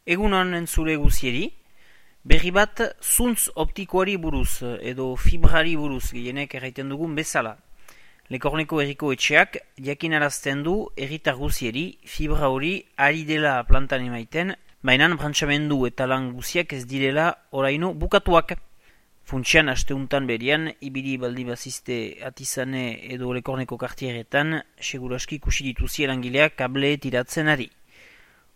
Egunon entzule guzieri, berri bat zuntz optikoari buruz edo fibrari buruz gehienek erraiten dugun bezala. Lekorneko herriko etxeak jakinarazten du herritar guzieri fibra hori ari dela plantan emaiten, baina brantzamendu eta lan guziak ez direla oraino bukatuak. Funtsian asteuntan berian, ibili baldi bazizte atizane edo Lekorneko kartieretan, seguraski ikusi dituzi erangileak kable tiratzen ari.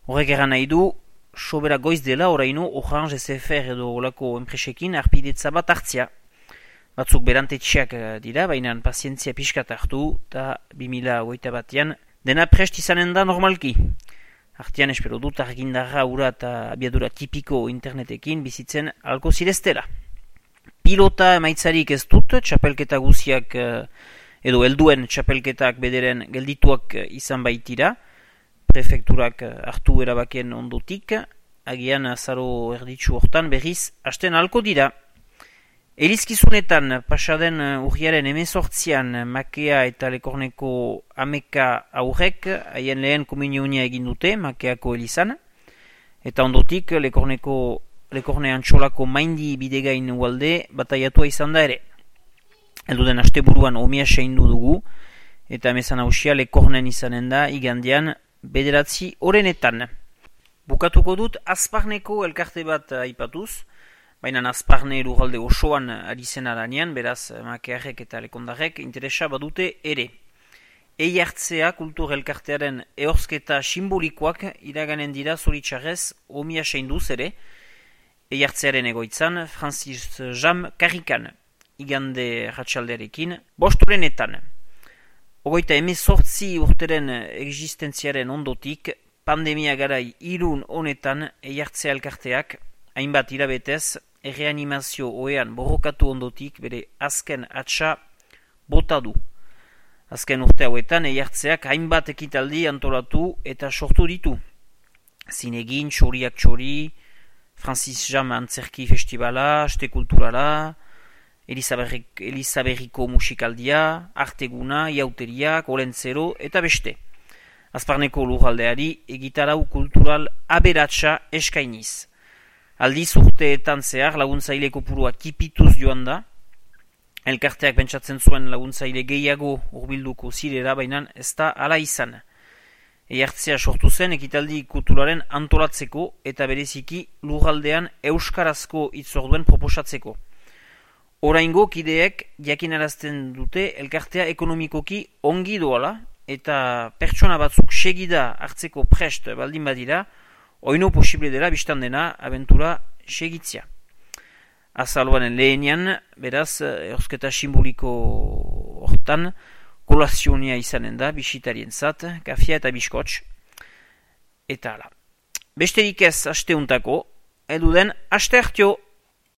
Horrek eran nahi du, sobera goiz dela oraino Orange SFR edo olako enpresekin arpidetza bat hartzia. Batzuk berantetxeak dira, baina pazientzia pixkat hartu, eta 2021an dena prest izanen da normalki. Artean espero dut argindarra ura eta abiadura tipiko internetekin bizitzen alko zireztela. Pilota emaitzarik ez dut, txapelketa guziak edo helduen txapelketak bederen geldituak izan baitira, prefekturak hartu erabakien ondotik, agian azaro erditsu hortan berriz hasten alko dira. Elizkizunetan pasaden urriaren 18an Makea eta Lekorneko ameka aurrek haien lehen komunionia egin dute Makeako elizan, eta ondotik Lekorne Antxolako maindi bidegain ualde bataiatua izan da ere. Elduden asteburuan omia seindu dugu, eta emezan hausia Lekornen izanen da igandean 9 orenetan. Bukatuko dut Azparneko elkarte bat aipatuz, baina Azparne lurralde osoan ari zen aranean, beraz Makearrek eta Lekondarrek interesa badute ere. Eiartzea kultur elkartearen ehorzketa simbolikoak iraganen dira zoritxarrez omia seinduz ere, Eiartzearen egoitzan Francis Jam Karrikan, igande ratxaldearekin, 5 orenetan. 28 urteren existentziaren ondotik, pandemia garai irun honetan Eiartzea elkarteak, hainbat hilabetez, erreanimazio oean borrokatu ondotik bere azken atxa bota du. Azken urte hauetan Eiartzeak hainbat ekitaldi antolatu eta sortu ditu. Zinegin, txoriak txori, Francis Jam Antzerki Festivala, Aste Kulturala, Elizaberriko musikaldia, arteguna, iauteriak, olentzero eta beste. Azparneko lurraldeari egitarau kultural aberatsa eskainiz. Aldiz urteetan zehar laguntzaile kopurua kipituz joan da, elkarteak pentsatzen zuen laguntzaile gehiago hurbilduko zirera, baina ez da hala izan. Eiartzea sortu zen ekitaldi kulturaren antolatzeko eta bereziki lurraldean euskarazko hitzorduen proposatzeko. Oraingo kideek jakinarazten dute elkartea ekonomikoki ongi doala eta pertsona batzuk segida hartzeko prest baldin badira, oino posible dela biztan dena abentura segitzia. Azaloanen lehenian, beraz, ehorzketa simboliko hortan, kolazionia izanen da, bisitarien zat, kafia eta biskotx, eta ala. Besterik ez asteuntako, eduden aste hartio!